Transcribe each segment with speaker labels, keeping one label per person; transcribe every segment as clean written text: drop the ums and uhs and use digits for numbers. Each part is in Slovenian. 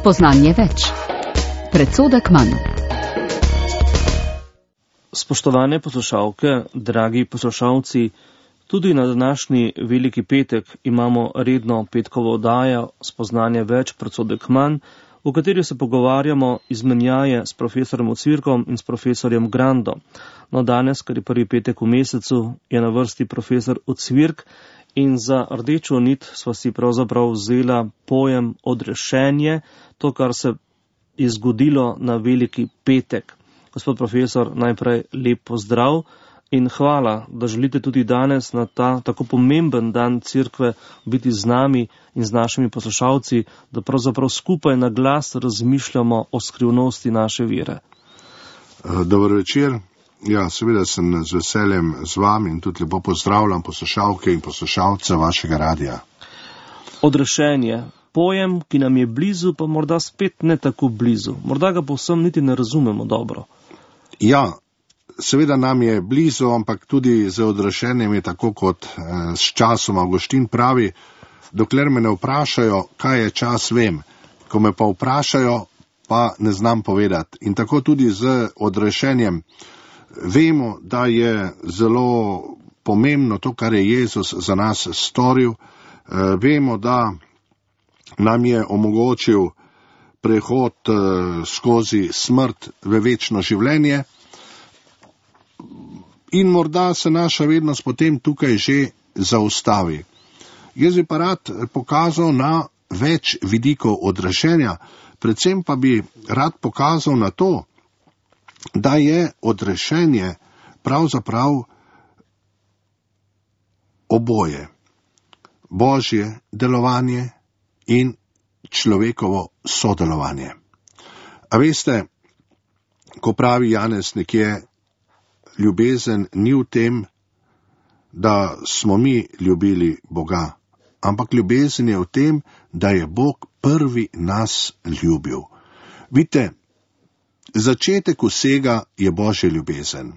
Speaker 1: Spoznanje več. Predsodek manj.
Speaker 2: Spoštovane poslušalke, dragi poslušalci, tudi na današnji veliki petek imamo redno petkovo oddajo Spoznanje več, predsodek manj, v kateri se pogovarjamo izmenjaje s profesorjem Ocvirkom in s profesorjem Grando. No, danes, ker je prvi petek v mesecu, je na vrsti profesor Ocvirk in za rdečo nit sva si pravzaprav vzela pojem odrešenje, to, kar se je zgodilo na veliki petek. Gospod profesor, najprej lep pozdrav in hvala, da želite tudi danes na ta tako pomemben dan Cerkve biti z nami in z našimi poslušalci, da pravzaprav skupaj na glas razmišljamo o skrivnosti naše vere.
Speaker 3: Dober večer. Ja, seveda sem z veseljem z vami in tudi lepo pozdravljam poslušalke in poslušalce vašega radija.
Speaker 2: Odrešenje. Pojem, ki nam je blizu, pa morda spet ne tako blizu. Morda ga povsem niti ne razumemo dobro.
Speaker 3: Ja, seveda nam je blizu, ampak tudi z odrešenjem je tako, kot s časom Avguštin pravi, dokler me ne vprašajo, kaj je čas, vem. Ko me pa vprašajo, pa ne znam povedati. In tako tudi z odrešenjem. Vemo, da je zelo pomembno to, kar je Jezus za nas storil. Vemo, da nam je omogočil prehod skozi smrt v večno življenje. In morda se naša vednost potem tukaj že zaustavi. Jaz bi pa rad pokazal na več vidikov odrešenja, predvsem pa bi rad pokazal na to, da je odrešenje pravzaprav oboje. Božje delovanje in človekovo sodelovanje. A veste, ko pravi Janez nekje, ljubezen ni v tem, da smo mi ljubili Boga, ampak ljubezen je v tem, da je Bog prvi nas ljubil. Vidite, začetek vsega je Božja ljubezen.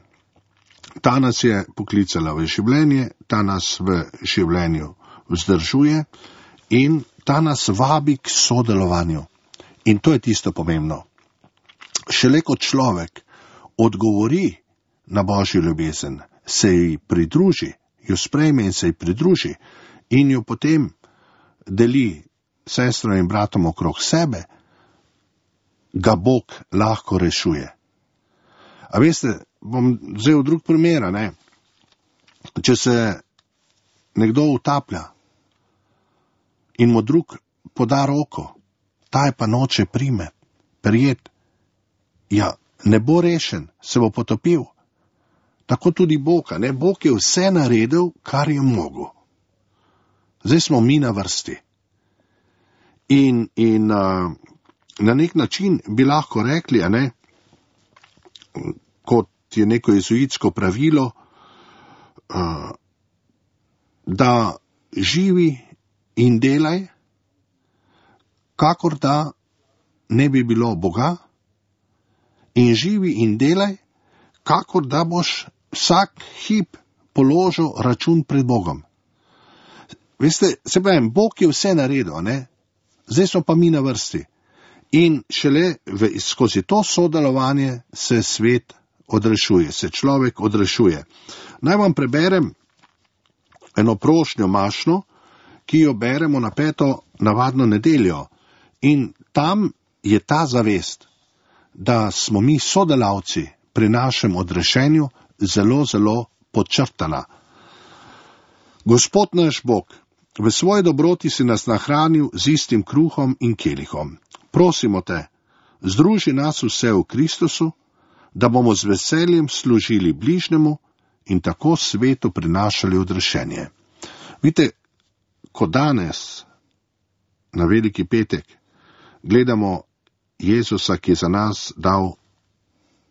Speaker 3: Ta nas je poklicala v življenje, ta nas v življenju vzdržuje in ta nas vabi k sodelovanju. In to je tisto pomembno. Šele kot človek odgovori na Božjo ljubezen, se ji pridruži, jo sprejme in se ji pridruži in jo potem deli sestram in bratom okrog sebe, ga Bog lahko rešuje. A veste, bom vzel drug primer, ne? Če se nekdo utaplja in mu drug poda roko, ta je pa noče prijet, ja, ne bo rešen, se bo potopil. Tako tudi Bog, ne? Bog je vse naredil, kar je mogel. Zdaj smo mi na vrsti. In na nek način bi lahko rekli, ne, kot je neko jezuitsko pravilo, da živi in delaj, kakor da ne bi bilo Boga, in živi in delaj, kakor da boš vsak hip položil račun pred Bogom. Veste, se pravim, Bog je vse naredil, ne? Zdaj smo pa mi na vrsti. In šele skozi to sodelovanje se svet odrešuje, se človek odrešuje. Naj vam preberem eno prošnjo mašno, ki jo beremo na 5. navadno nedeljo. In tam je ta zavest, da smo mi sodelavci pri našem odrešenju, zelo, zelo podčrtana. Gospod naš Bog, v svoji dobroti si nas nahranil z istim kruhom in kelihom. Prosimo te, združi nas vse v Kristusu, da bomo z veseljem služili bližnjemu in tako svetu prinašali odrešenje. Vidite, ko danes, na veliki petek, gledamo Jezusa, ki je za nas dal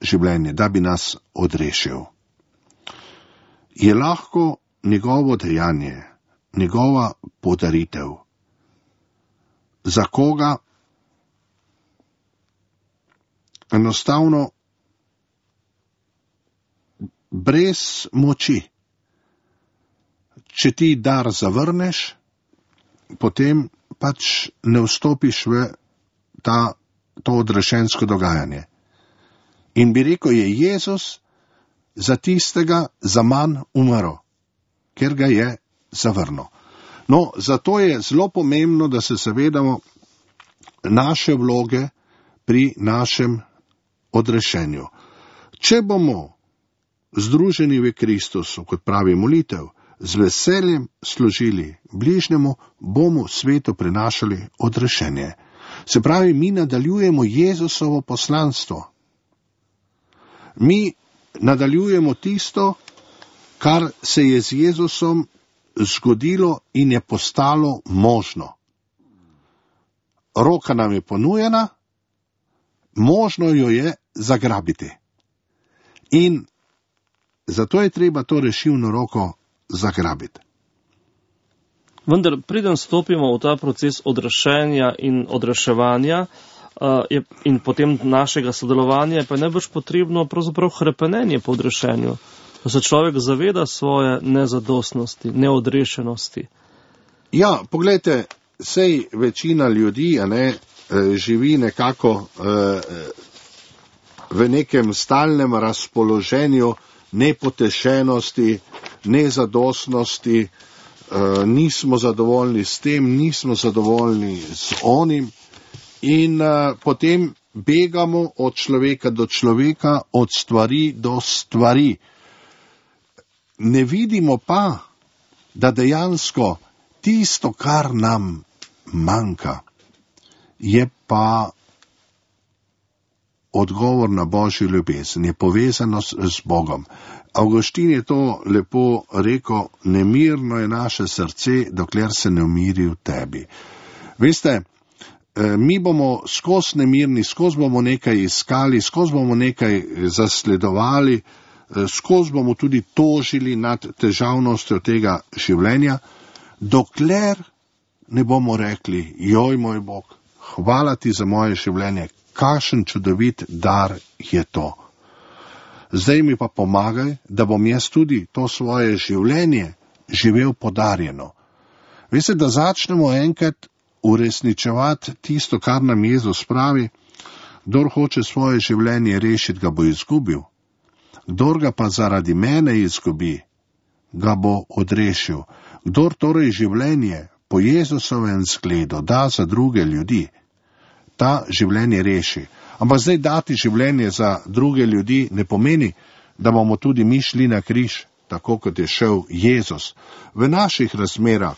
Speaker 3: življenje, da bi nas odrešil, je lahko njegovo dejanje, njegova podaritev. Za koga? Enostavno brez moči. Če ti dar zavrneš, potem pač ne vstopiš v to odrešensko dogajanje. In bi rekel, je Jezus za tistega zaman umrl, ker ga je zavrnil. No, zato je zelo pomembno, da se zavedamo naše vloge pri našem odrešenju. Če bomo združeni v Kristusu, kot pravi molitev, z veseljem služili bližnjemu, bomo svetu prinašali odrešenje. Se pravi, mi nadaljujemo Jezusovo poslanstvo. Mi nadaljujemo tisto, kar se je z Jezusom zgodilo in je postalo možno. Roka nam je ponujena, možno jo je zagrabiti. In zato je treba to rešilno roko zagrabiti.
Speaker 2: Vendar, preden stopimo v ta proces odrešenja in odreševanja in potem našega sodelovanja, pa je najbrž potrebno pravzaprav hrepenenje po odrešenju, da se človek zaveda svoje nezadostnosti, neodrešenosti. Ja,
Speaker 3: poglejte, sej večina ljudi živi nekako v nekem stalnem razpoloženju nepotešenosti, nezadostnosti, nismo zadovoljni s tem, nismo zadovoljni z onim in potem begamo od človeka do človeka, od stvari do stvari. Ne vidimo pa, da dejansko tisto, kar nam manjka, je pa odgovor na Božjo ljubezen, je povezano z Bogom. Avguštin je to lepo rekel, nemirno je naše srce, dokler se ne umiri v tebi. Veste, mi bomo skozi nemirni, skozi bomo nekaj iskali, skozi bomo nekaj zasledovali, skozi bomo tudi tožili nad težavnostjo tega življenja, dokler ne bomo rekli, joj moj Bog, hvala ti za moje življenje, kakšen čudovit dar je to. Zdaj mi pa pomagaj, da bom jaz tudi to svoje življenje živel podarjeno. Veste, da začnemo enkrat uresničevati tisto, kar nam Jezus pravi, kdor hoče svoje življenje rešiti, ga bo izgubil. Kdor ga pa zaradi mene izgubi, ga bo odrešil. Kdor torej življenje po Jezusovem zgledu da za druge ljudi, ta življenje reši. Ampak zdaj dati življenje za druge ljudi ne pomeni, da bomo tudi mi šli na križ, tako kot je šel Jezus. V naših razmerah,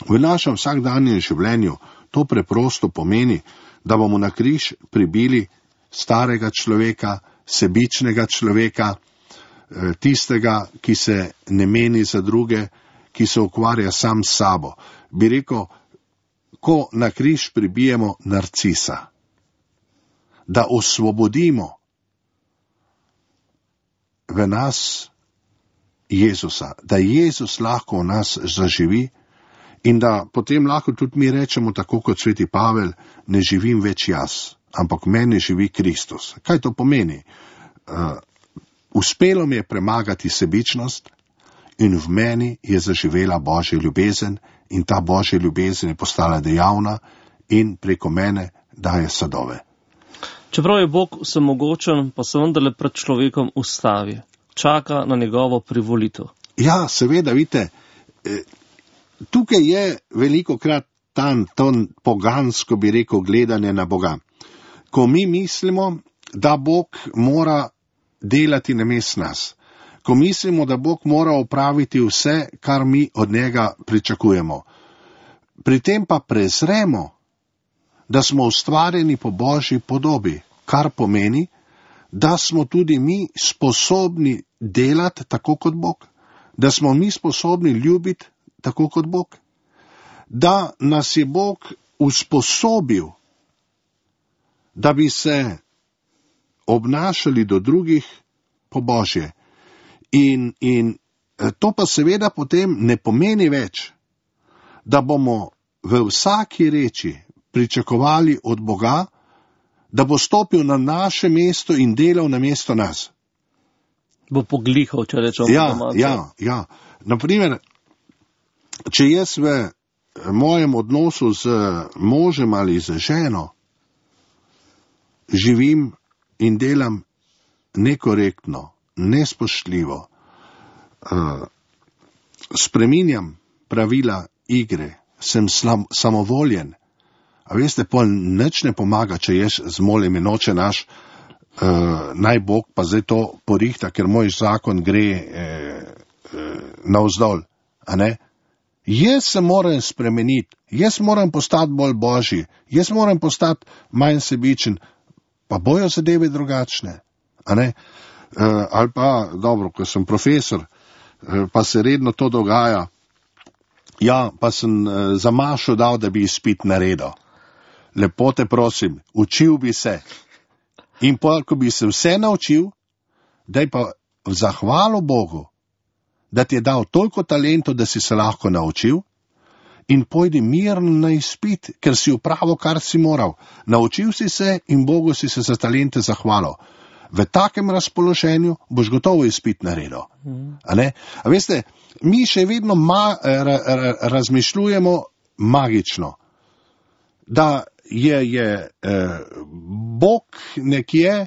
Speaker 3: v našem vsakdanjem življenju to preprosto pomeni, da bomo na križ pribili starega človeka, sebičnega človeka, tistega, ki se ne meni za druge, ki se ukvarja sam s sabo. Bi rekel, ko na križ pribijemo narcisa, da osvobodimo v nas Jezusa, da Jezus lahko v nas zaživi in da potem lahko tudi mi rečemo, tako kot sveti Pavel, ne živim več jaz, ampak meni živi Kristus. Kaj to pomeni? Uspelo mi je premagati sebičnost in v meni je zaživela Božja ljubezen in ta Božja ljubezen je postala dejavna in preko mene daje sadove.
Speaker 2: Čeprav je Bog vsemogočen, pa se vendarle pred človekom ustavi, čaka na njegovo privolitev.
Speaker 3: Ja, seveda, vidite, tukaj je velikokrat to pogansko, bi rekel, gledanje na Boga. Ko mi mislimo, da Bog mora delati namesto nas, ko mislimo, da Bog mora opraviti vse, kar mi od njega pričakujemo. Pri tem pa prezremo, da smo ustvarjeni po Božji podobi, kar pomeni, da smo tudi mi sposobni delati tako kot Bog, da smo mi sposobni ljubiti tako kot Bog, da nas je Bog usposobil, da bi se obnašali do drugih po Božje. In to pa seveda potem ne pomeni več, da bomo v vsaki reči pričakovali od Boga, da bo stopil na naše mesto in delal na mesto nas.
Speaker 2: Bo poglihal, če rečemo domače.
Speaker 3: Ja. Naprimer, če jaz v mojem odnosu z možem ali z ženo živim in delam nekorektno, nespoštljivo, spreminjam pravila igre, sem samovoljen. A veste, pol nič ne pomaga, če jaz zmolim in oče naš, naj Bog pa zdaj to porihta, ker moj zakon gre navzdol. A ne? Jaz se moram spremeniti, jaz moram postati bolj božji, jaz moram postati manj sebičen, pa bojo zadeve drugačne. A ne? Ali pa, dobro, ko sem profesor, pa se redno to dogaja, ja, pa sem za mašo dal, da bi izpit naredil. Lepo te prosim, učil bi se. In pol, ko bi se vse naučil, daj pa v zahvalo Bogu, da ti je dal toliko talentov, da si se lahko naučil, in pojdi mirno na izpit, ker si upravil, kar si moral. Naučil si se in Bogu si se za talente zahvalil. V takem razpoloženju boš gotovo izpit naredil. A ne? A veste, mi še vedno razmišljujemo magično, da je Bog nekje,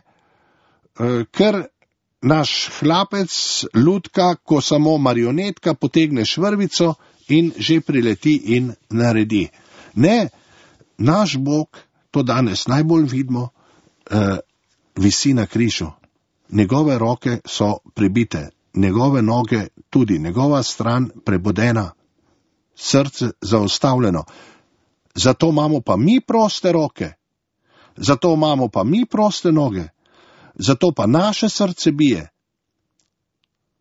Speaker 3: ker naš hlapec lutka, ko samo marionetka potegne švrvico in že prileti in naredi. Ne, naš Bog, to danes najbolj vidimo, visi na križu. Njegove roke so pribite, njegove noge tudi, njegova stran prebodena, srce zaustavljeno. Zato imamo pa mi proste roke, zato imamo pa mi proste noge, zato pa naše srce bije,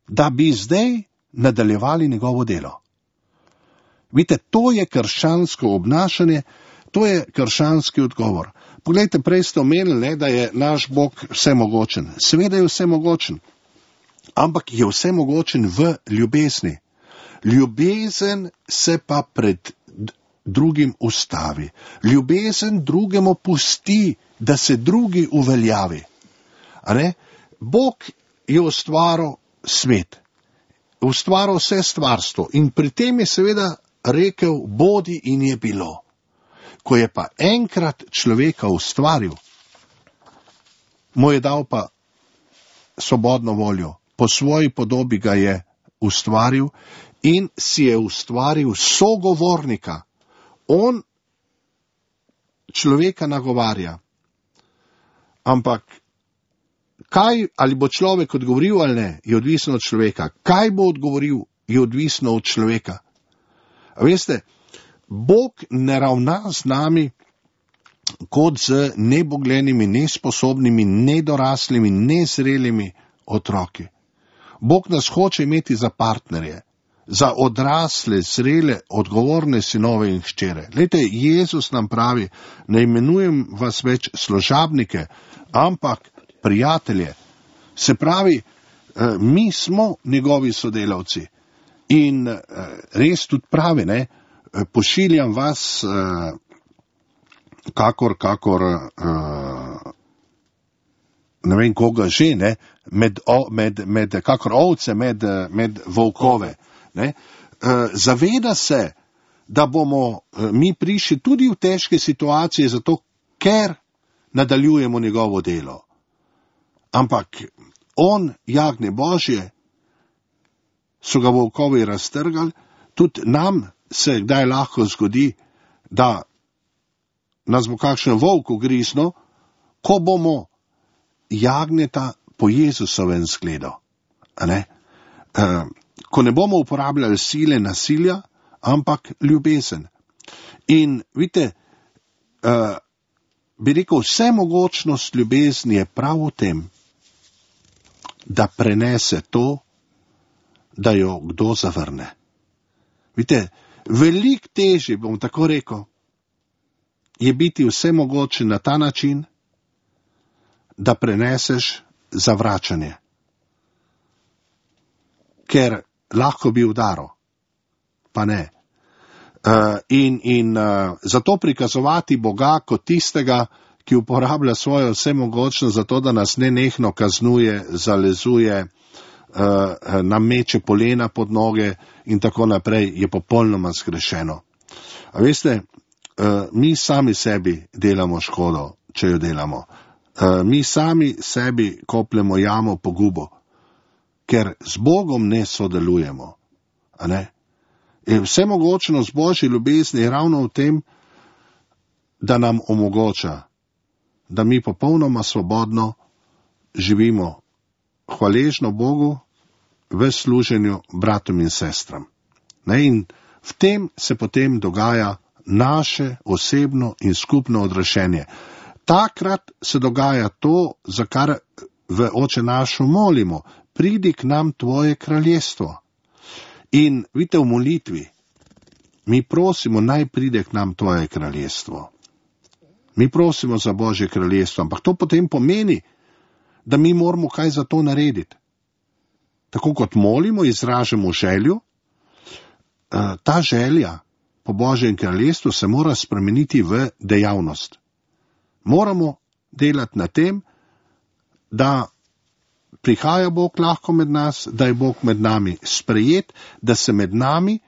Speaker 3: da bi zdaj nadaljevali njegovo delo. Vidite, to je krščansko obnašanje, to je krščanski odgovor. Poglejte, prej ste omenili, da je naš Bog vsemogočen. Seveda je vsemogočen, ampak je vsemogočen v ljubezni. Ljubezen se pa pred drugim ustavi. Ljubezen drugemu pusti, da se drugi uveljavi. A ne? Bog je ustvaril svet, ustvaril vse stvarstvo in pri tem je seveda rekel, bodi in je bilo. Ko je pa enkrat človeka ustvaril, mu je dal pa svobodno voljo. Po svoji podobi ga je ustvaril in si je ustvaril sogovornika. On človeka nagovarja. Ampak kaj, ali bo človek odgovoril ali ne, je odvisno od človeka. Kaj bo odgovoril, je odvisno od človeka. A veste, Bog ne ravna z nami kot z neboglenimi, nesposobnimi, nedoraslimi, nezrelimi otroki. Bog nas hoče imeti za partnerje, za odrasle, zrele, odgovorne sinove in hčere. Glejte, Jezus nam pravi, ne imenujem vas več služabnike, ampak prijatelje. Se pravi, mi smo njegovi sodelavci in res tudi pravi, ne, pošiljam vas, kakor ne vem koga že, ne, kakor ovce med volkove. Ne. Zaveda se, da bomo mi prišli tudi v težke situacije, zato ker nadaljujemo njegovo delo. Ampak on, jagnje Božje, so ga volkovi raztrgali, tudi nam se kdaj lahko zgodi, da nas bo kakšen volk ugriznil, ko bomo jagnjeta po Jezusovem zgledu. Ko ne bomo uporabljali sile, nasilja, ampak ljubezen. In vidite, bi rekel, vsemogočnost ljubezni je prav v tem, da prenese to, da jo kdo zavrne. Vidite, veliko težje, bom tako rekel, je biti vsemogočen na ta način, da preneseš zavračanje. Ker lahko bi udaril, pa ne. Zato prikazovati Boga kot tistega, ki uporablja svojo vsemogočnost za to, da nas nenehno kaznuje, zalezuje, nam meče polena pod noge in tako naprej, je popolnoma zgrešeno. A veste, mi sami sebi delamo škodo, če jo delamo. Mi sami sebi kopljemo jamo pogubo, ker z Bogom ne sodelujemo. A ne? Vsemogočnost Božje ljubezni je ravno v tem, da nam omogoča, da mi popolnoma svobodno živimo hvaležno Bogu v služenju bratom in sestram. In v tem se potem dogaja naše osebno in skupno odrešenje. Takrat se dogaja to, za kar v Oče našu molimo. Pridi k nam tvoje kraljestvo. In vidite, v molitvi mi prosimo, naj pride k nam tvoje kraljestvo. Mi prosimo za Božje kraljestvo, ampak to potem pomeni, da mi moramo kaj za to narediti. Tako kot molimo, izražamo željo, ta želja po Božjem kraljestvu se mora spremeniti v dejavnost. Moramo delati na tem, da prihaja Bog lahko med nas, da je Bog med nami sprejet, da se med nami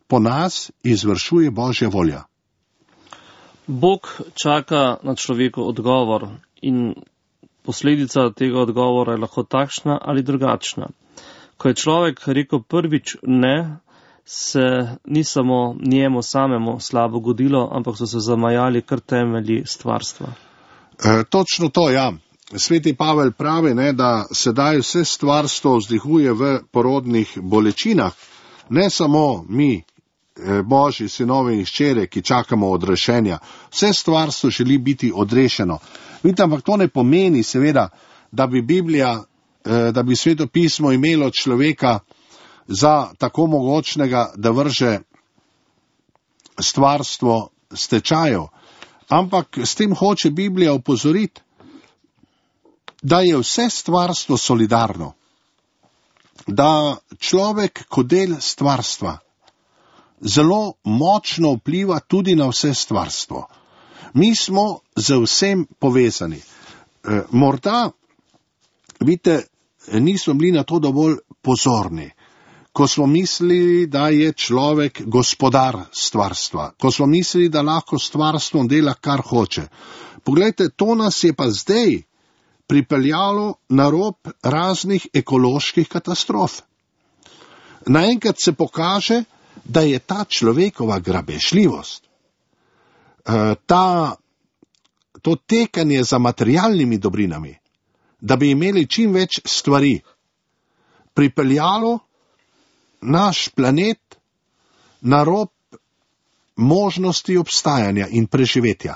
Speaker 3: po nas izvršuje Božja volja.
Speaker 2: Bog čaka na človekov odgovor in posledica tega odgovora je lahko takšna ali drugačna. Ko je človek rekel prvič ne, se ni samo njemu samemu slabo godilo, ampak so se zamajali kar temelji stvarstva.
Speaker 3: Točno to, ja. Sveti Pavel pravi, da sedaj vse stvarstvo vzdihuje v porodnih bolečinah. Ne samo mi, Božji sinovi in hčere, ki čakamo odrešenja. Vse stvarstvo želi biti odrešeno. Vidite, ampak to ne pomeni seveda, da bi Biblija, da bi Sveto pismo imelo človeka za tako mogočnega, da vrže stvarstvo stečajev. Ampak s tem hoče Biblija opozoriti, da je vse stvarstvo solidarno. Da človek kot del stvarstva zelo močno vpliva tudi na vse stvarstvo. Mi smo z vsem povezani. Morda, vidite, nismo bili na to dovolj pozorni, ko smo mislili, da je človek gospodar stvarstva, ko smo mislili, da lahko stvarstvom dela, kar hoče. Poglejte, to nas je pa zdaj pripeljalo na rob raznih ekoloških katastrof. Naenkrat se pokaže, da je ta človekova grabežljivost, to tekanje za materialnimi dobrinami, da bi imeli čim več stvari, pripeljalo naš planet na rob možnosti obstajanja in preživetja.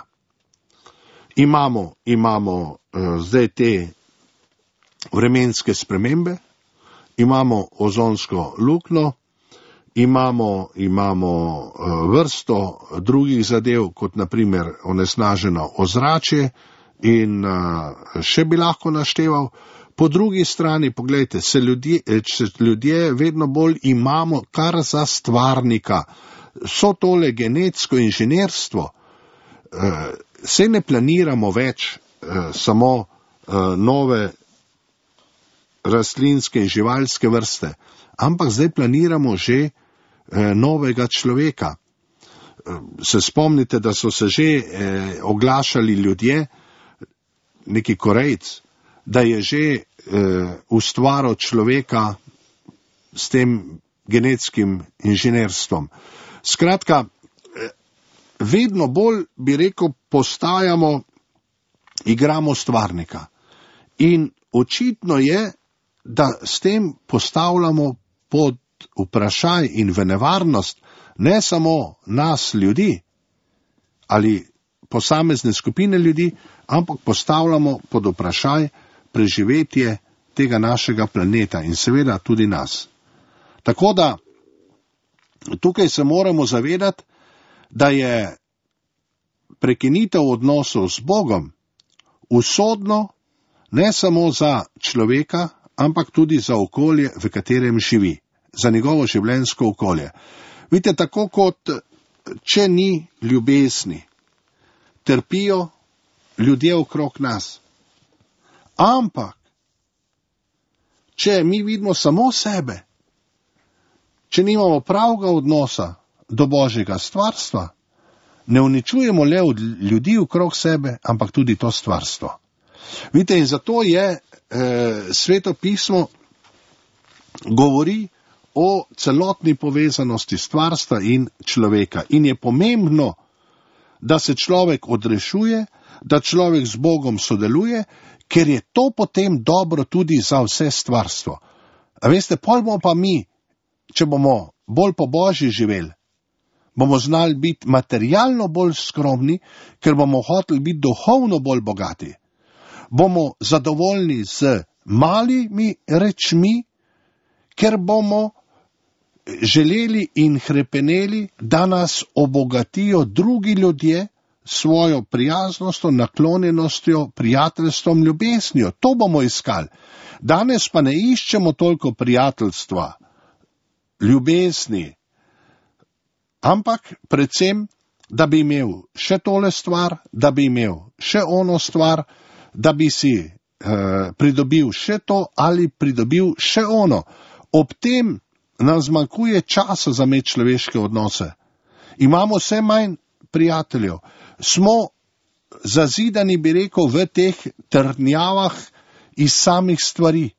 Speaker 3: Imamo zdaj te vremenske spremembe, imamo ozonsko luknjo, imamo vrsto drugih zadev, kot naprimer onesnaženo ozračje in še bi lahko našteval. Po drugi strani, poglejte, ljudje vedno bolj imamo kar za stvarnika. So tole genetsko inženirstvo. Se ne planiramo več samo nove rastlinske in živalske vrste, ampak zdaj planiramo že novega človeka. Se spomnite, da so se že oglašali ljudje, neki Korejc, da je že ustvaril človeka s tem genetskim inženirstvom. Skratka, vedno bolj, bi rekel, postajamo, igramo stvarnika. In očitno je, da s tem postavljamo pod vprašaj in v nevarnost ne samo nas ljudi ali posamezne skupine ljudi, ampak postavljamo pod vprašaj preživetje tega našega planeta in seveda tudi nas. Tako da tukaj se moramo zavedati, da je prekinitev odnosov z Bogom usodno ne samo za človeka, ampak tudi za okolje, v katerem živi, za njegovo življenjsko okolje. Vidite, tako kot če ni ljubezni, trpijo ljudje okrog nas. Ampak, če mi vidimo samo sebe, če nimamo pravega odnosa do Božjega stvarstva, ne uničujemo le od ljudi okrog sebe, ampak tudi to stvarstvo. Vidite, in zato je Sveto pismo govori o celotni povezanosti stvarstva in človeka. In je pomembno, da se človek odrešuje, da človek z Bogom sodeluje, ker je to potem dobro tudi za vse stvarstvo. A veste, pol bomo pa mi, če bomo bolj po Božji živeli, bomo znali biti materialno bolj skromni, ker bomo hoteli biti duhovno bolj bogati. Bomo zadovoljni z malimi rečmi, ker bomo želeli in hrepeneli, da nas obogatijo drugi ljudje svojo prijaznostjo, naklonjenostjo, prijateljstvom, ljubeznijo. To bomo iskali. Danes pa ne iščemo toliko prijateljstva, ljubezni, ampak predvsem, da bi imel še tole stvar, da bi imel še ono stvar, da bi si pridobil še to ali pridobil še ono. Ob tem nam zmanjkuje časa za medčloveške odnose. Imamo vse manj prijateljev. Smo zazidani, bi rekel, v teh trdnjavah iz samih stvari.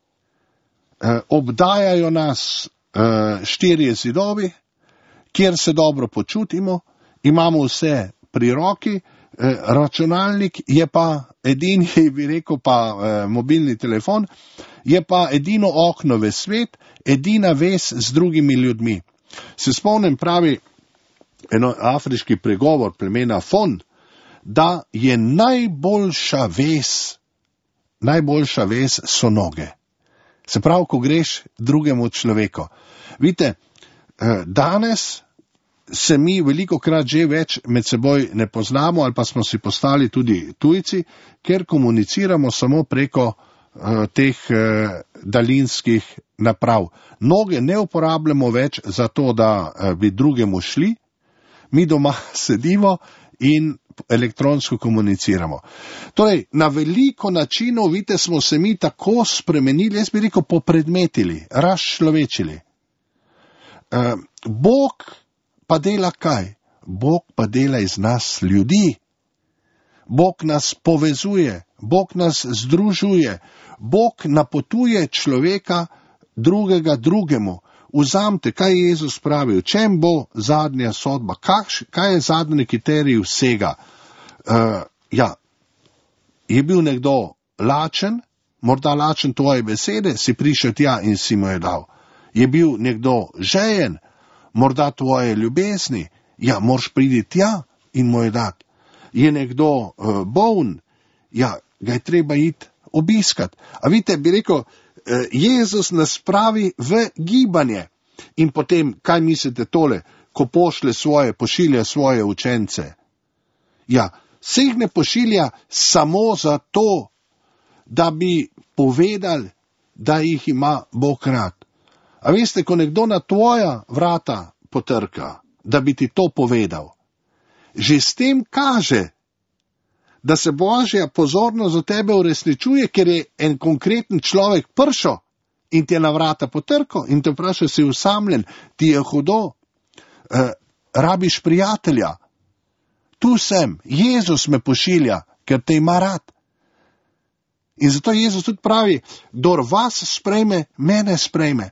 Speaker 3: Obdajajo nas 4 zidovi, kjer se dobro počutimo, imamo vse pri roki, računalnik je pa edini, bi rekel, pa mobilni telefon, je pa edino okno v svet, edina vez z drugimi ljudmi. Se spomnim, pravi eno afriški pregovor plemena Fon, da je najboljša vez so noge. Se pravi, ko greš drugemu človeku. Vidite, danes se mi velikokrat že več med seboj ne poznamo ali pa smo si postali tudi tujci, ker komuniciramo samo preko teh daljinskih naprav. Noge ne uporabljamo več za to, da bi drugemu šli, mi doma sedimo in elektronsko komuniciramo. Torej, na veliko načinov, vidite, smo se mi tako spremenili, jaz bi rekel, popredmetili, razčlovečili. Bog pa dela kaj? Bog pa dela iz nas ljudi. Bog nas povezuje, Bog nas združuje, Bog napotuje človeka drugega drugemu. Vzamite, kaj je Jezus pravil, čem bo zadnja sodba, kaj je zadnji kriterij vsega. Je bil nekdo lačen, morda lačen tvoje besede, si prišel tja in si mu je dal. Je bil nekdo žejen, morda tvoje ljubezni, moraš priti tja in mu je dati. Je nekdo boln, ga je treba iti obiskat. A vidite, bi rekel, Jezus nas pravi v gibanje. In potem, kaj mislite tole, ko pošilja svoje učence? Vseh ne pošilja samo zato, da bi povedali, da jih ima Bog rad. A veste, ko nekdo na tvoja vrata potrka, da bi ti to povedal, že s tem kaže, da se Božja pozornost za tebe uresničuje, ker je en konkreten človek prišel in ti je na vrata potrkal in te vprašal, si usamljen, ti je hudo, rabiš prijatelja. Tu sem, Jezus me pošilja, ker te ima rad. In zato Jezus tudi pravi, kdor vas sprejme, mene sprejme.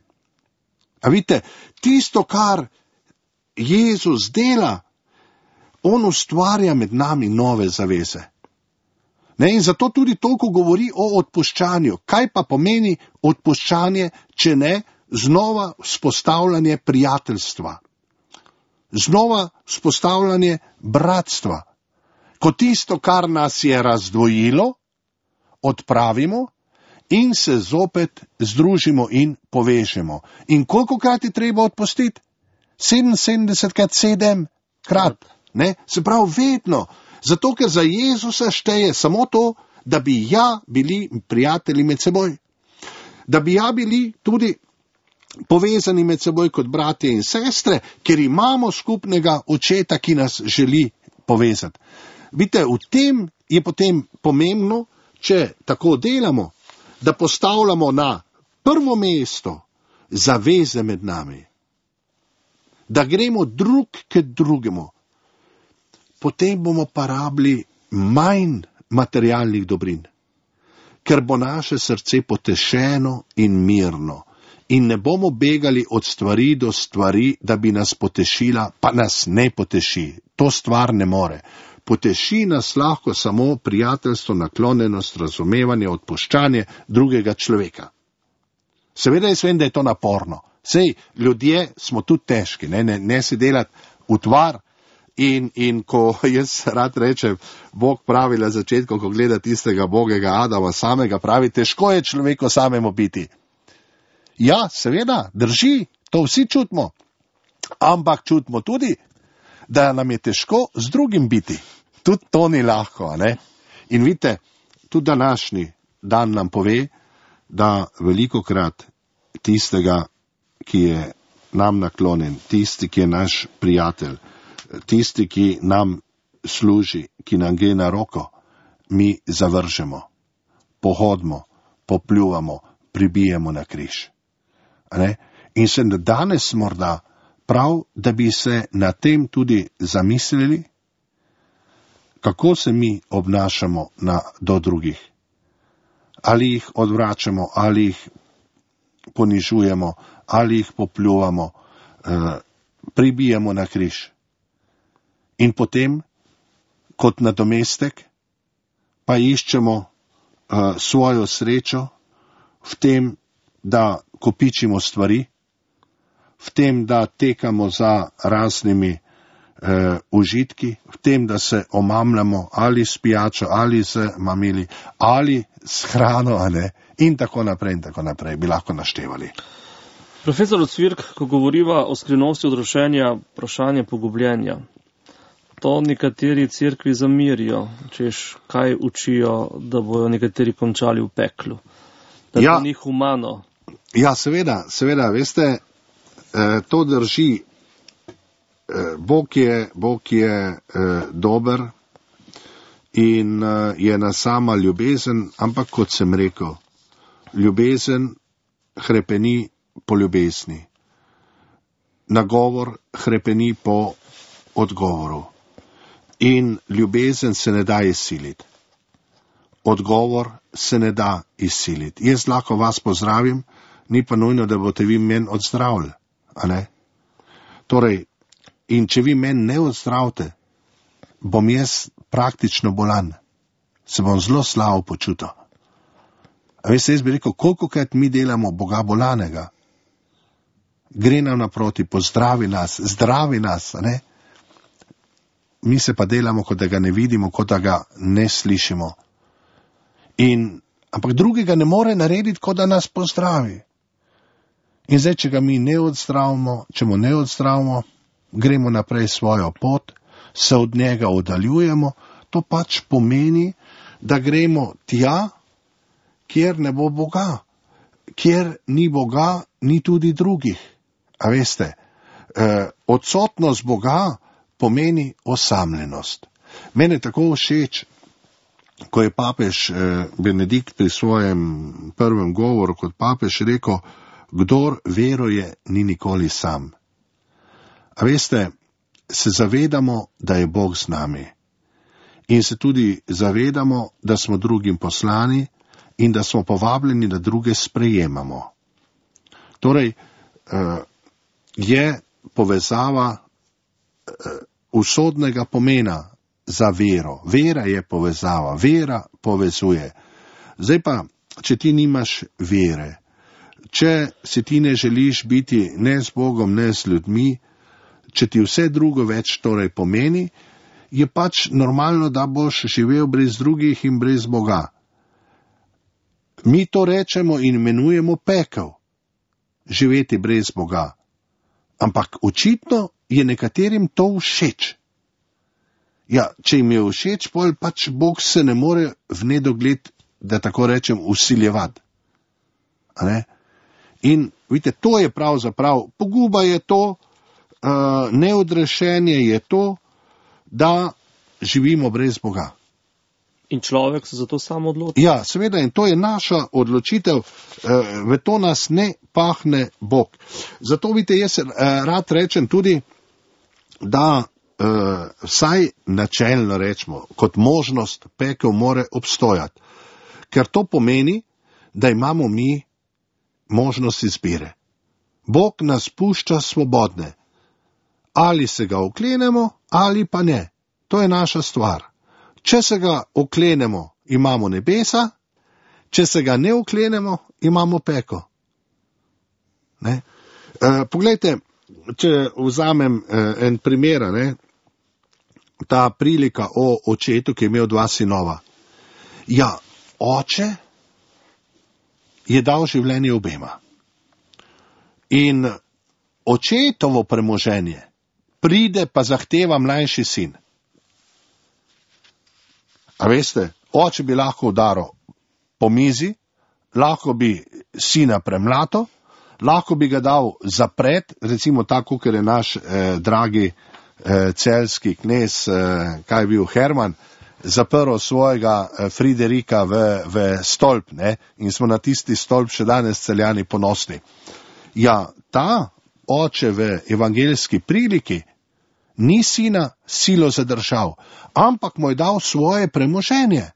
Speaker 3: A vidite, tisto, kar Jezus dela, on ustvarja med nami nove zaveze. In zato tudi toliko govori o odpuščanju. Kaj pa pomeni odpuščanje, če ne znova vzpostavljanje prijateljstva? Znova vzpostavljanje bratstva. Ko tisto, kar nas je razdvojilo, odpravimo in se zopet združimo in povežemo. In kolikokrat je treba odpustiti? 77 krat. Se pravi vedno. Zato, ker za Jezusa šteje samo to, da bi bili prijatelji med seboj. Da bi bili tudi povezani med seboj kot bratje in sestre, ker imamo skupnega očeta, ki nas želi povezati. Vidite, v tem je potem pomembno, če tako delamo, da postavljamo na prvo mesto zaveze med nami. Da gremo drug k drugemu. Potem bomo pa rabili manj materialnih dobrin. ker bo naše srce potešeno in mirno. In ne bomo begali od stvari do stvari, da bi nas potešila, pa nas ne poteši. To stvar ne more. Poteši nas lahko samo prijateljstvo, naklonjenost, razumevanje, odpuščanje drugega človeka. Seveda jaz vem, da je to naporno. Sej, ljudje smo tudi težki, ne si delati utvar in ko jaz rad rečem, Bog pravi na začetku, ko gleda tistega bogega Adama samega, pravi, težko je človeku samemu biti. Ja, seveda, drži, to vsi čutimo, ampak čutimo tudi, da nam je težko z drugim biti. Tudi to ni lahko, ne? In vidite, tudi današnji dan nam pove, da velikokrat tistega, ki je nam naklonjen, tisti, ki je naš prijatelj, tisti, ki nam služi, ki nam gre na roko, mi zavržemo, pohodimo, popljuvamo, pribijemo na križ. Ne? In se danes morda prav, da bi se na tem tudi zamislili, kako se mi obnašamo do drugih. Ali jih odvračamo, ali jih ponižujemo, ali jih popljuvamo, pribijemo na križ. In potem, kot nadomestek, pa iščemo svojo srečo v tem, da kopičimo stvari, v tem, da tekamo za raznimi užitki, v tem, da se omamljamo ali s pijačo, ali z mamili, ali s hrano, in tako naprej, bi lahko naštevali.
Speaker 2: Profesor Ocvirk, ko govoriva o skrivnosti odrošenja, vprašanje pogubljenja, to nekateri cerkvi zamirijo, češ kaj učijo, da bojo nekateri končali v peklu. Da to ni humano.
Speaker 3: Ja, seveda, veste, to drži. Bog je dober in je ena sama ljubezen, ampak kot sem rekel, ljubezen hrepeni po ljubezni. Nagovor hrepeni po odgovoru. In ljubezen se ne da izsiliti. Odgovor se ne da izsiliti. Jaz lahko vas pozdravim, ni pa nujno, da boste vi meni odzdravili, a ne? Torej, in če vi meni ne odzdravite, bom jaz praktično bolan. Se bom zelo slabo počutil. A veste, jaz bi rekel, kolikokrat mi delamo Boga bolanega. Gre nam naproti, pozdravi nas, zdravi nas, a ne? Mi se pa delamo, kot da ga ne vidimo, kot da ga ne slišimo. Ampak drugega ne more narediti, kot da nas pozdravi. In zdaj, če ga mi ne odzdravimo, če mu ne odzdravimo, gremo naprej svojo pot, se od njega oddaljujemo, to pač pomeni, da gremo tja, kjer ne bo Boga. Kjer ni Boga, ni tudi drugih. A veste, odsotnost Boga pomeni osamljenost. Mene tako všeč, ko je papež Benedikt pri svojem prvem govoru kot papež rekel, kdor veruje, ni nikoli sam. A veste, se zavedamo, da je Bog z nami. In se tudi zavedamo, da smo drugim poslani in da smo povabljeni, da druge sprejemamo. Torej, je povezava usodnega pomena za vero. Vera je povezava, vera povezuje. Zdaj pa, če ti nimaš vere, če si ti ne želiš biti ne z Bogom, ne z ljudmi, če ti vse drugo več torej pomeni, je pač normalno, da boš živel brez drugih in brez Boga. Mi to rečemo in imenujemo pekel, živeti brez Boga. Ampak očitno je nekaterim to všeč. Ja, če jim je všeč, potem pač Bog se ne more v nedogled, da tako rečem, vsiljevati. In vidite, to je pravzaprav, poguba je to, neodrešenje je to, da živimo brez Boga.
Speaker 2: In človek se zato sam odloči.
Speaker 3: Ja, seveda, in to je naša odločitev, v to nas ne pahne Bog. Zato vidite, jaz rad rečem tudi, da vsaj načelno rečemo, kot možnost pekel more obstojati. ker to pomeni, da imamo mi možnost izbire. Bog nas pušča svobodne. Ali se ga oklenemo, ali pa ne. To je naša stvar. Če se ga oklenemo, imamo nebesa, če se ga ne oklenemo, imamo peko. Ne? Poglejte, če vzamem en primer, ne? Ta prilika o očetu, ki je imel 2 sinova. Ja, oče je dal življenje obema. In očetovo premoženje pride pa zahteva mlajši sin. A veste, oče bi lahko udaril po mizi, lahko bi sina premlato, lahko bi ga dal zapret, recimo tako, ker je naš dragi celjski knez, kaj je bil Herman, zaprl svojega Friderika v stolp, ne? In smo na tisti stolp še danes Celjani ponosni. Ja, ta oče v evangeljski priliki ni sina silo zadržal, ampak mu je dal svoje premoženje.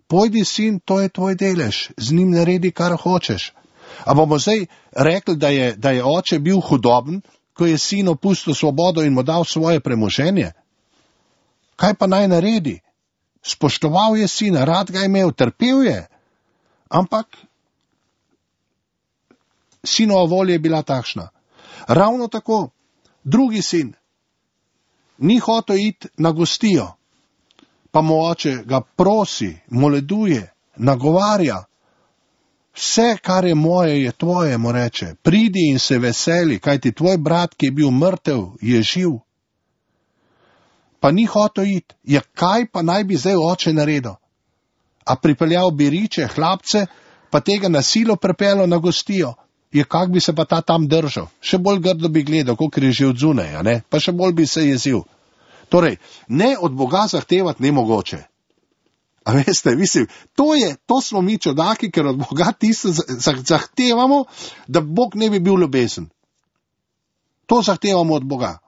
Speaker 3: Pojdi, sin, to je tvoj delež, z njim naredi, kar hočeš. A bomo zdaj rekli, da je oče bil hudoben, ko je sin opustil svobodo in mu dal svoje premoženje? Kaj pa naj naredi? Spoštoval je sina, rad ga je imel, trpel je, ampak sinova volja je bila takšna. Ravno tako, drugi sin ni hotel iti na gostijo, pa mu oče ga prosi, moleduje, nagovarja. Vse, kar je moje, je tvoje, mu reče. Pridi in se veseli, kajti tvoj brat, ki je bil mrtev, je živ. Pa ni hotel iti. Ja, kaj pa naj bi zdaj oče naredil? A pripeljal bi riče, hlapce, pa tega na silo pripeljal na gostijo? Ja, kak bi se pa ta tam držal? Še bolj grdo bi gledal, kot je že od zunaj, a ne? Pa še bolj bi se jezil. Torej, ne od Boga zahtevati nemogoče. A veste, mislim, to smo mi čudaki, ker od Boga tisto zahtevamo, da Bog ne bi bil ljubezen. To zahtevamo od Boga.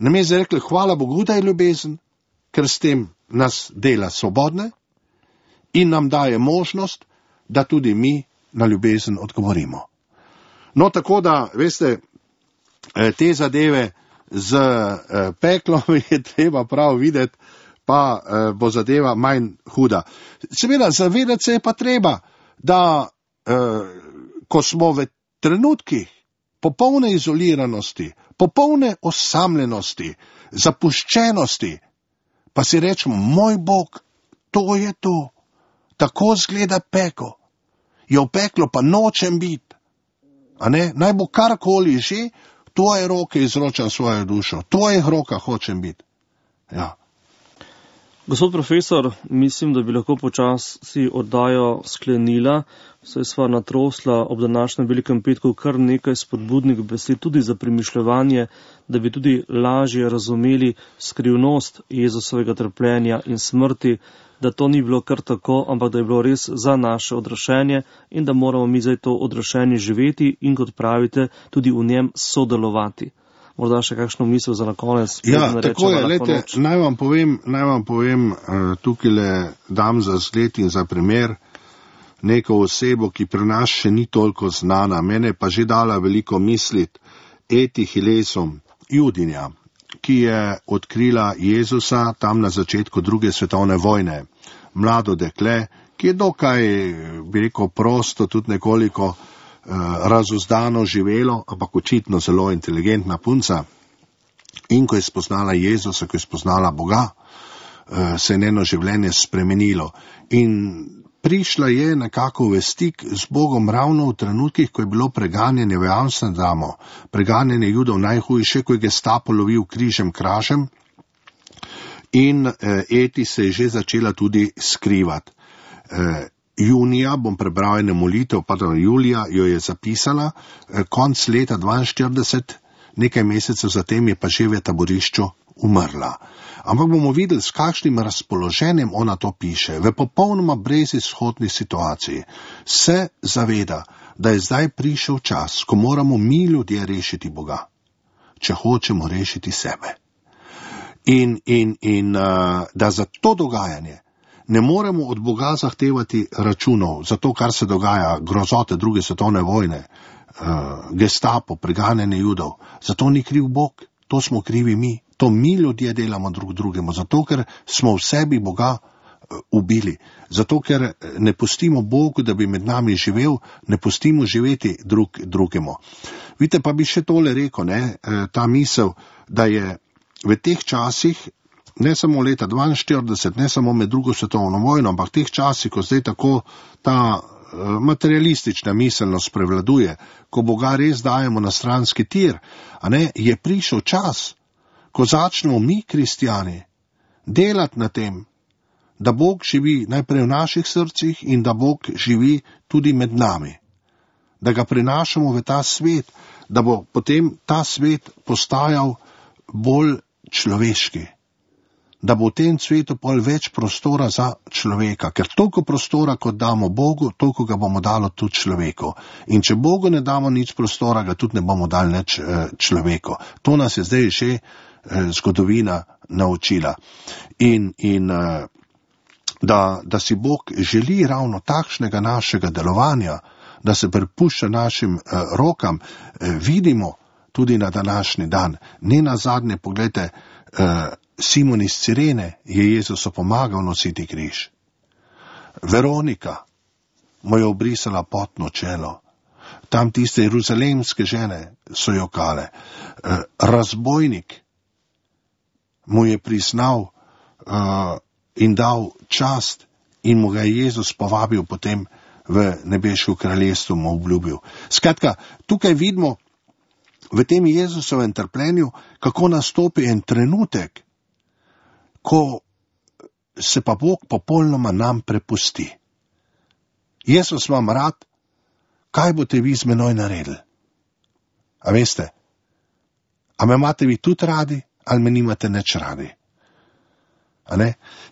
Speaker 3: Namesto rekli, hvala Bogu, da je ljubezen, ker s tem nas dela svobodne in nam daje možnost, da tudi mi na ljubezen odgovorimo. No, tako da, veste, te zadeve z peklom je treba prav videti, pa bo zadeva manj huda. Seveda, zavedati se je pa treba, da ko smo v trenutkih popolne izoliranosti, popolne osamljenosti, zapuščenosti, pa si rečemo, moj Bog, to je to, tako zgleda peko. Je v peklo pa nočem biti. A ne? Naj bo karkoli že, tvoje roke izročam svojo dušo, tvojih rokah hočem biti. Ja.
Speaker 2: Gospod profesor, mislim, da bi lahko počasi oddajo sklenila, saj sva natrosla ob današnjem velikem petku kar nekaj spodbudnih besed tudi za premišljevanje, da bi tudi lažje razumeli skrivnost Jezusovega trpljenja in smrti, da to ni bilo kar tako, ampak da je bilo res za naše odrešenje in da moramo mi zdaj to odrešenje živeti in, kot pravite, tudi v njem sodelovati. Morda še kakšno misel za na konec?
Speaker 3: Ja, tako je, lejte, naj vam povem, tukaj le dam za zgled in za primer neko osebo, ki pri nas še ni toliko znana, mene pa že dala veliko misliti, Eti Hilesom, Judinja, ki je odkrila Jezusa tam na začetku 2. svetovne vojne. Mlado dekle, ki je dokaj, bi rekel, prosto, tudi nekoliko razuzdano živelo, ampak očitno zelo inteligentna punca. In ko je spoznala Jezusa, ko je spoznala Boga, se je njeno življenje spremenilo. In prišla je nekako v stik z Bogom ravno v trenutkih, ko je bilo preganjanje v Amsterdamu, preganjanje Judov najhujše, ko je Gestapo lovil križem kražem. In Eti se je že začela tudi skrivati. Junija, bom prebral eno molitev, Julija jo je zapisala, konc leta 42, nekaj mesecev zatem je pa že v taborišču umrla. Ampak bomo videli, s kakšnim razpoloženjem ona to piše. V popolnoma brezizhodni situaciji se zaveda, da je zdaj prišel čas, ko moramo mi ljudje rešiti Boga, če hočemo rešiti sebe. In da za to dogajanje ne moremo od Boga zahtevati računov za to, kar se dogaja, grozote druge svetovne vojne, gestapo, preganjanje Judov. Zato ni kriv Bog, to smo krivi mi. To mi ljudje delamo drug drugemu, zato ker smo v sebi Boga ubili. Zato ker ne pustimo Bogu, da bi med nami živel, ne pustimo živeti drugemu. Vidite, pa bi še tole rekel, ta misel, da je v teh časih, ne samo leta 42, ne samo med drugo svetovno vojno, ampak v teh časih, ko zdaj tako ta materialistična miselnost prevladuje, ko Boga res dajemo na stranski tir, je prišel čas, ko začnemo mi, kristjani, delati na tem, da Bog živi najprej v naših srcih in da Bog živi tudi med nami. Da ga prenašamo v ta svet, da bo potem ta svet postajal bolj človeški. Da bo v tem svetu pol več prostora za človeka, ker toliko prostora, kot damo Bogu, toliko ga bomo dali tudi človeku. In če Bogu ne damo nič prostora, ga tudi ne bomo dali nič človeku. To nas je zdaj že zgodovina naučila. In da si Bog želi ravno takšnega našega delovanja, da se prepušča našim rokam, vidimo tudi na današnji dan. Ne nazadnje, poglejte, Simon iz Cirene je Jezusu pomagal nositi križ. Veronika mu je obrisala potno čelo. Tam tiste jeruzalemske žene so jokale. Razbojnik mu je priznal in dal čast in mu ga je Jezus povabil potem v nebeško kraljestvo, mu obljubil. Skratka, tukaj vidimo v tem Jezusovem trpljenju, kako nastopi en trenutek, ko se pa Bog popolnoma nam prepusti. Jezus vam rad, kaj boste vi z menoj naredili? A veste? A me imate vi tudi radi, ali me nimate nič radi?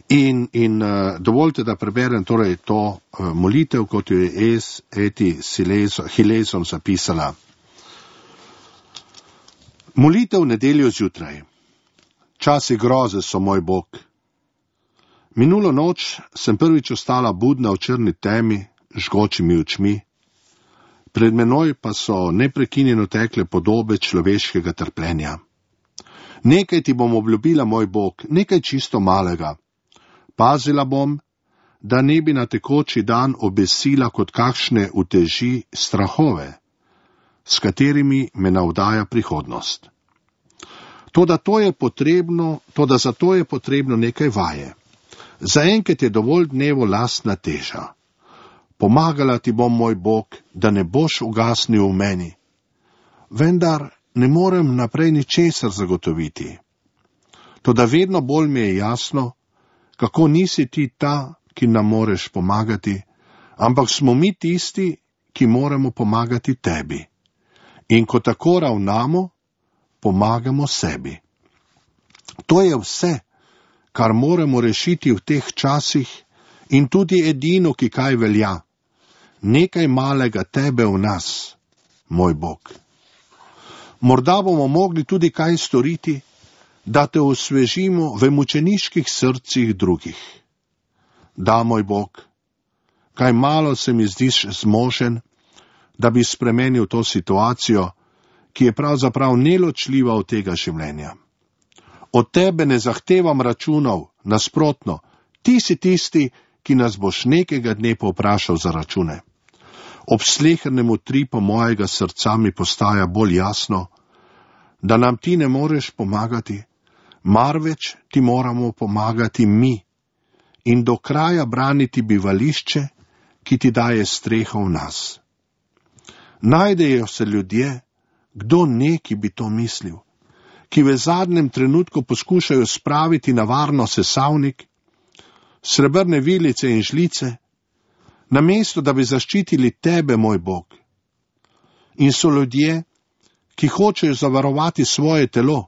Speaker 3: In dovolite, da preberem torej to molitev, kot jo je Eti Hilezom zapisala. Molitev nedeljo zjutraj. Časi groze so moj Bog. Minulo noč sem prvič ostala budna v črni temi, žgočimi očmi. Pred menoj pa so neprekinjeno tekle podobe človeškega trpljenja. Nekaj ti bom obljubila, moj Bog, nekaj čisto malega. Pazila bom, da ne bi na tekoči dan obesila kot kakšne uteži strahove, s katerimi me navdaja prihodnost. Toda zato je potrebno nekaj vaje. Zaenkrat je dovolj dnevo lastna teža. Pomagala ti bom, moj Bog, da ne boš ugasnil v meni. Vendar ne morem naprej ničesar zagotoviti. Toda vedno bolj mi je jasno, kako nisi ti ta, ki nam moreš pomagati, ampak smo mi tisti, ki moramo pomagati tebi. In ko tako ravnamo, pomagamo sebi. To je vse, kar moramo rešiti v teh časih in tudi edino, ki kaj velja. Nekaj malega tebe v nas, moj Bog. Morda bomo mogli tudi kaj storiti, da te osvežimo v mučeniških srcih drugih. Da, moj Bog, kaj malo se mi zdiš zmožen, da bi spremenil to situacijo, ki je pravzaprav neločljiva od tega življenja. Od tebe ne zahtevam računov, nasprotno, ti si tisti, ki nas boš nekega dne povprašal za račune. Ob slehernem utripu mojega srca mi postaja bolj jasno, da nam ti ne moreš pomagati, marveč ti moramo pomagati mi in do kraja braniti bivališče, ki ti daje streho v nas. Najdejo se ljudje, kdo neki bi to mislil, ki v zadnjem trenutku poskušajo spraviti na varno sesavnik, srebrne vilice in žlice, namesto da bi zaščitili tebe, moj Bog. In so ljudje, ki hočejo zavarovati svoje telo,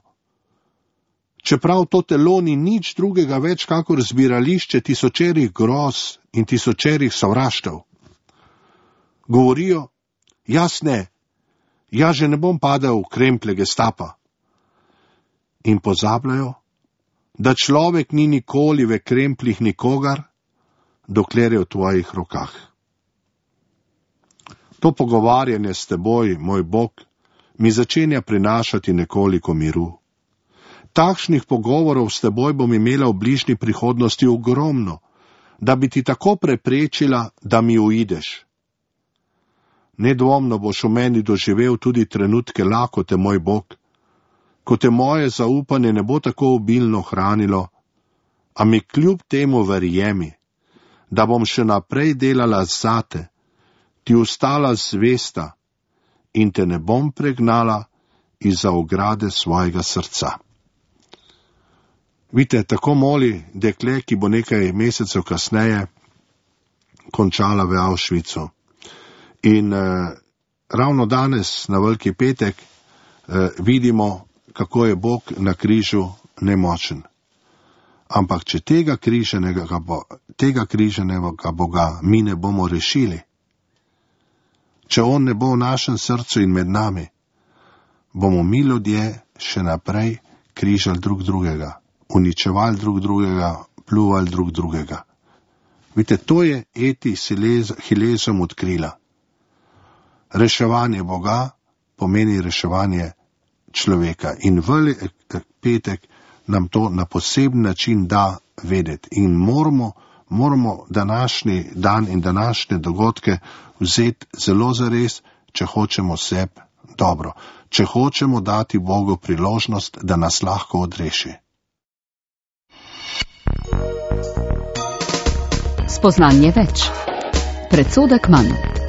Speaker 3: čeprav to telo ni nič drugega več kakor zbirališče tisočerih groz in tisočerih sovraštev. Govorijo, jaz že ne bom padel v kremplje gestapa. In pozabljajo, da človek ni nikoli v krempljih nikogar, dokler je v tvojih rokah. To pogovarjanje s teboj, moj Bog, mi začenja prinašati nekoliko miru. Takšnih pogovorov s teboj bom imela v bližnji prihodnosti ogromno, da bi ti tako preprečila, da mi uideš. Nedvomno boš v meni doživel tudi trenutke lakote, moj Bog, ko te moje zaupanje ne bo tako obilno hranilo, a mi kljub temu verjemi, da bom še naprej delala zate, ti ostala zvesta in te ne bom pregnala izza ograde svojega srca. Vidite, tako moli dekle, ki bo nekaj mesecev kasneje končala v Auschwitzu. In ravno danes, na Veliki petek, vidimo, kako je Bog na križu nemočen. Ampak če tega križanega Boga mi ne bomo rešili, če on ne bo v našem srcu in med nami, bomo mi ljudje še naprej križali drug drugega, uničevali drug drugega, pljuvali drug drugega. Vidite, to je Eti Hilesum odkrila. Reševanje Boga pomeni reševanje človeka. In Veliki petek nam to na poseben način da vedeti. In moramo današnji dan in današnje dogodke vzeti zelo zares, če hočemo sebi dobro. Če hočemo dati Bogu priložnost, da nas lahko odreši.
Speaker 1: Spoznanje več. Predsodek manj.